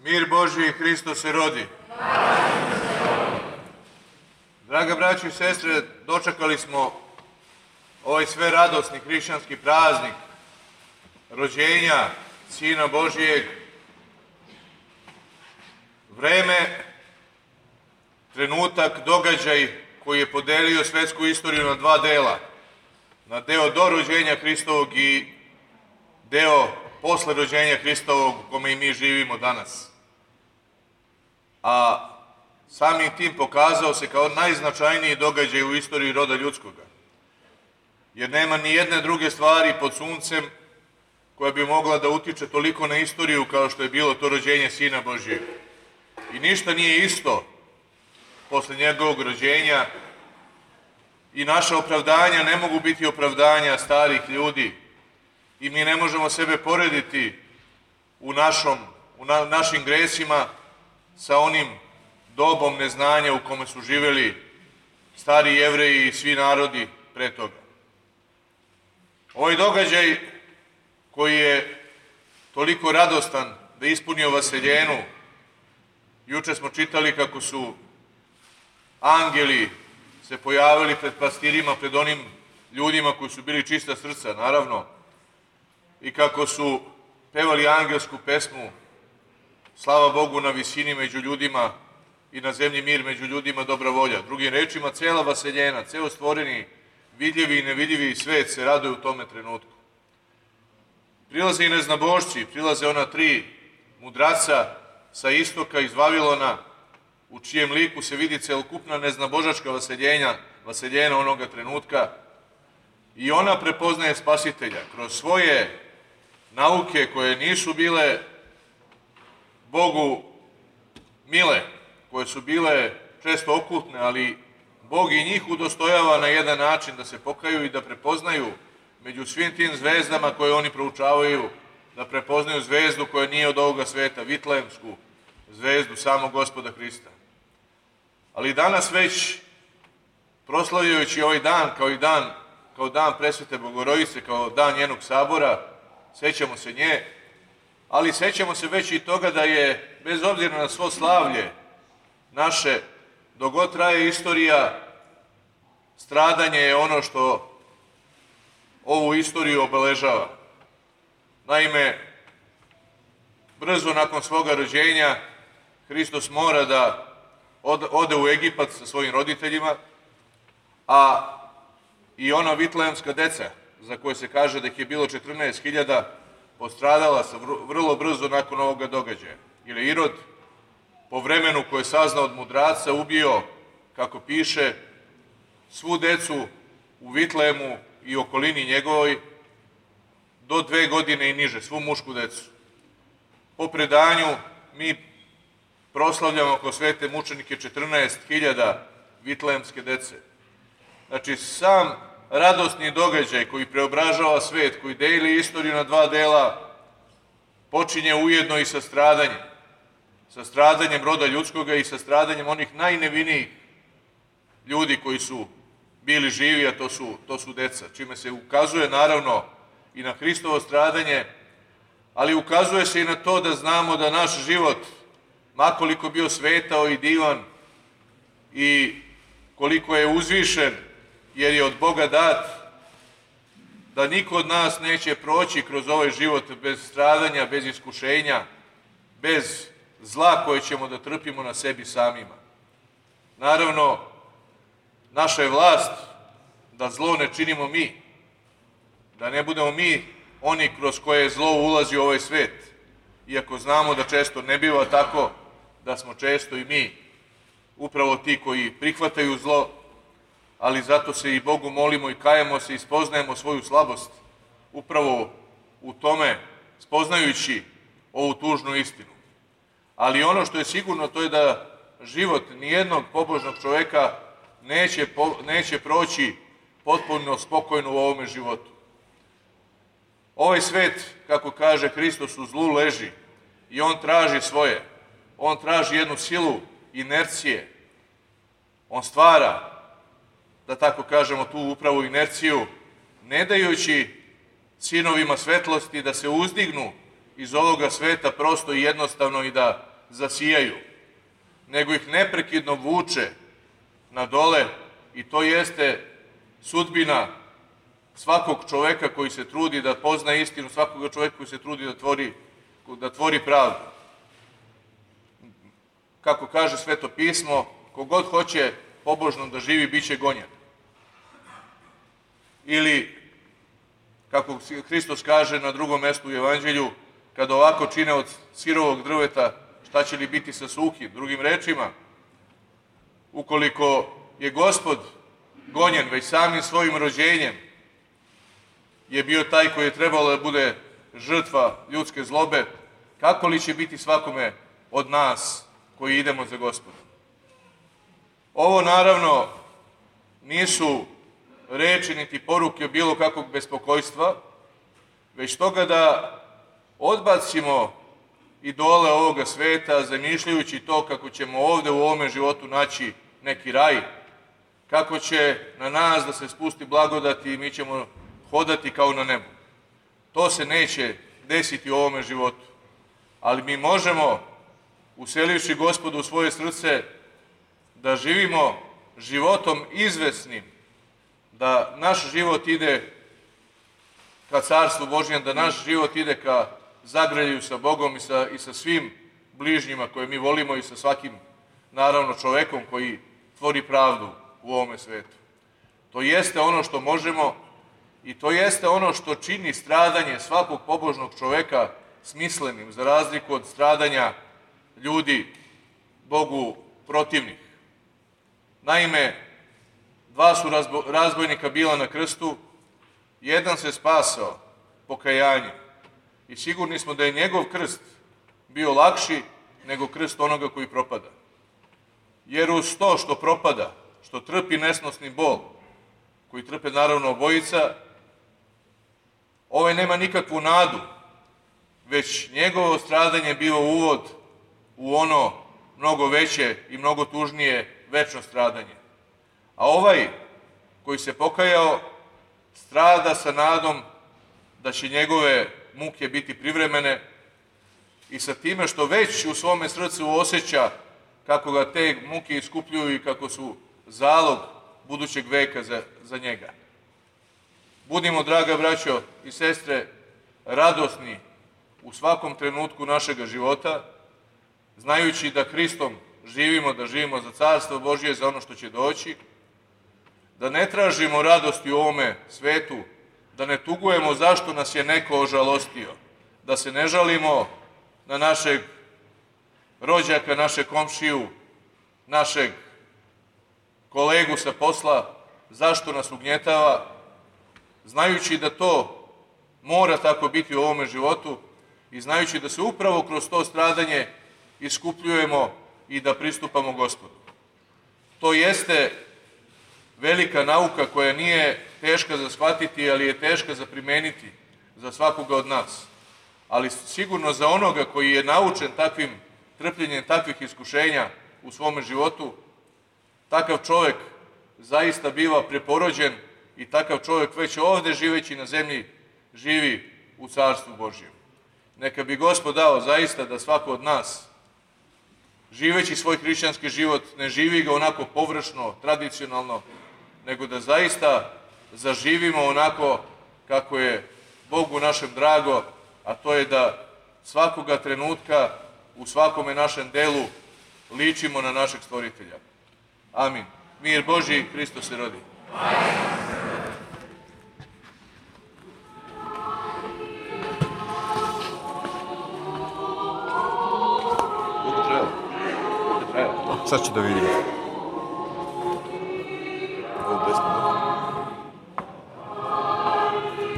Mir Božji, Hristo se rodi. Draga braćo i sestre, dočekali smo ovaj sve radosni hrišćanski praznik rođenja Sina Božijeg. Vreme, trenutak, događaj koji je podelio svetsku istoriju na dva dela. Na deo do rođenja Hristovog i deo posle rođenja Hristovog u kome i mi živimo danas. A samim tim pokazao se kao najznačajniji događaj u istoriji roda ljudskoga. Jer nema ni jedne druge stvari pod suncem koja bi mogla da utiče toliko na istoriju kao što je bilo to rođenje Sina Božijeg. I ništa nije isto posle njegovog rođenja i naša opravdanja ne mogu biti opravdanja starih ljudi i mi ne možemo sebe porediti u našim gresima sa onim dobom neznanja u kome su živeli stari Jevreji i svi narodi pre toga. Ovaj događaj koji je toliko radostan da ispunio vaseljenu, juče smo čitali kako su angeli se pojavili pred pastirima, pred onim ljudima koji su bili čista srca, naravno, i kako su pevali angelsku pesmu Slava Bogu na visini među ljudima i na zemlji mir među ljudima dobra volja. Drugim rečima, cela vaseljena, ceo stvoreni, vidljivi i nevidljivi svet se raduje u tome trenutku. Prilaze i neznabošci, prilaze ona tri mudraca sa istoka iz Vavilona, u čijem liku se vidi celokupna neznabožačka vaseljena onoga trenutka, i ona prepoznaje Spasitelja kroz svoje nauke koje nisu bile Bogu mile, koje su bile često okultne, ali Bog i njih udostojava na jedan način da se pokaju i da prepoznaju među svim tim zvezdama koje oni proučavaju, da prepoznaju zvezdu koja nije od ovoga sveta, vitlejemsku zvezdu samog Gospoda Hrista. Ali danas već, proslavljajući ovaj dan kao dan Presvete Bogorodice, kao dan njenog sabora, sećamo se nje, ali sećamo se već i toga da je, bez obzira na svo slavlje naše, dok god traje istorija, stradanje je ono što ovu istoriju obeležava. Naime, brzo nakon svoga rođenja, Hristos mora da ode u Egipat sa svojim roditeljima, a i ona vitlejemska deca, za koje se kaže da ih je bilo 14.000, postradala se vrlo brzo nakon ovoga događaja. Jer je Irod, po vremenu koje je saznao od mudraca, ubio, kako piše, svu decu u Vitlejemu i okolini njegovoj do 2 godine i niže, svu mušku decu. Po predanju mi proslavljamo kao svete mučenike 14.000 vitlejemske dece. Znači, sam radosni događaj koji preobražava svet, koji deli istoriju na dva dela, počinje ujedno i sa stradanjem. Sa stradanjem roda ljudskoga i sa stradanjem onih najnevinijih ljudi koji su bili živi, a to su deca. Čime se ukazuje, naravno, i na Hristovo stradanje, ali ukazuje se i na to da znamo da naš život, makoliko bio svetao i divan i koliko je uzvišen, jer je od Boga dat, da niko od nas neće proći kroz ovaj život bez stradanja, bez iskušenja, bez zla koje ćemo da trpimo na sebi samima. Naravno, naša je vlast da zlo ne činimo mi, da ne budemo mi oni kroz koje zlo ulazi u ovaj svet, iako znamo da često ne biva tako, da smo često i mi upravo ti koji prihvataju zlo, ali zato se i Bogu molimo i kajemo se i spoznajemo svoju slabost upravo u tome, spoznajući ovu tužnu istinu. Ali ono što je sigurno, to je da život nijednog pobožnog čoveka neće proći potpuno spokojno u ovome životu. Ovaj svet, kako kaže Hristos, u zlu leži i on traži svoje. On traži jednu silu inercije. On stvara, da tako kažemo, tu upravo inerciju, ne dajući sinovima svetlosti da se uzdignu iz ovoga sveta prosto i jednostavno i da zasijaju, nego ih neprekidno vuče na dole i to jeste sudbina svakog čoveka koji se trudi da pozna istinu, svakog čoveka koji se trudi da tvori pravdu. Kako kaže Sveto pismo, kogod hoće pobožno da živi, bit će gonjen. Ili, kako Hristos kaže na drugom mestu u Evanđelju, kada ovako čine od sirovog drveta, šta će li biti sa suhim? Drugim rečima, ukoliko je Gospod gonjen već samim svojim rođenjem, je bio taj koji je trebalo da bude žrtva ljudske zlobe, kako li će biti svakome od nas koji idemo za Gospodom? Ovo naravno nisu reči niti poruke bilo kakvog bespokojstva, već toga da odbacimo idole ovoga sveta, zamišljajući to kako ćemo ovde u ovome životu naći neki raj, kako će na nas da se spusti blagodat i mi ćemo hodati kao na nebu. To se neće desiti u ovome životu. Ali mi možemo, uselivši Gospodu u svoje srce, da živimo životom izvesnim, da naš život ide ka Carstvu Božjem, da naš život ide ka zagrljaju sa Bogom i sa svim bližnjima koje mi volimo i sa svakim, naravno, čovekom koji tvori pravdu u ovome svetu. To jeste ono što možemo i to jeste ono što čini stradanje svakog pobožnog čoveka smislenim, za razliku od stradanja ljudi Bogu protivnih. Naime, dva su razbojnika bila na krstu, jedan se spasao pokajanjem i sigurni smo da je njegov krst bio lakši nego krst onoga koji propada. Jer uz to što propada, što trpi nesnosni bol, koji trpe naravno obojica, ovaj nema nikakvu nadu, već njegovo stradanje biva uvod u ono mnogo veće i mnogo tužnije večno stradanje. A ovaj koji se pokajao strada sa nadom da će njegove muke biti privremene i sa time što već u svome srcu osjeća kako ga te muke iskupljuju i kako su zalog budućeg veka za njega. Budimo, draga braćo i sestre, radosni u svakom trenutku našega života, znajući da Hristom živimo, da živimo za Carstvo Božje, za ono što će doći, da ne tražimo radosti u ovome svetu, da ne tugujemo zašto nas je neko ožalostio, da se ne žalimo na našeg rođaka, našeg komšiju, našeg kolegu sa posla, zašto nas ugnjetava, znajući da to mora tako biti u ovome životu i znajući da se upravo kroz to stradanje iskupljujemo i da pristupamo Gospodu. To jeste velika nauka koja nije teška za shvatiti, ali je teška za primeniti za svakoga od nas. Ali sigurno za onoga koji je naučen takvim trpljenjem, takvih iskušenja u svome životu, takav čovek zaista biva preporođen i takav čovek već ovde živeći na zemlji živi u Carstvu Božjem. Neka bi Gospod dao zaista da svako od nas, živeći svoj hrišćanski život, ne živi ga onako površno, tradicionalno, nego da zaista zaživimo onako kako je Bogu našem drago, a to je da svakoga trenutka u svakome našem delu ličimo na našeg Stvoritelja. Amin. Mir Božji, Hristos se rodi. Sad ću da vidim.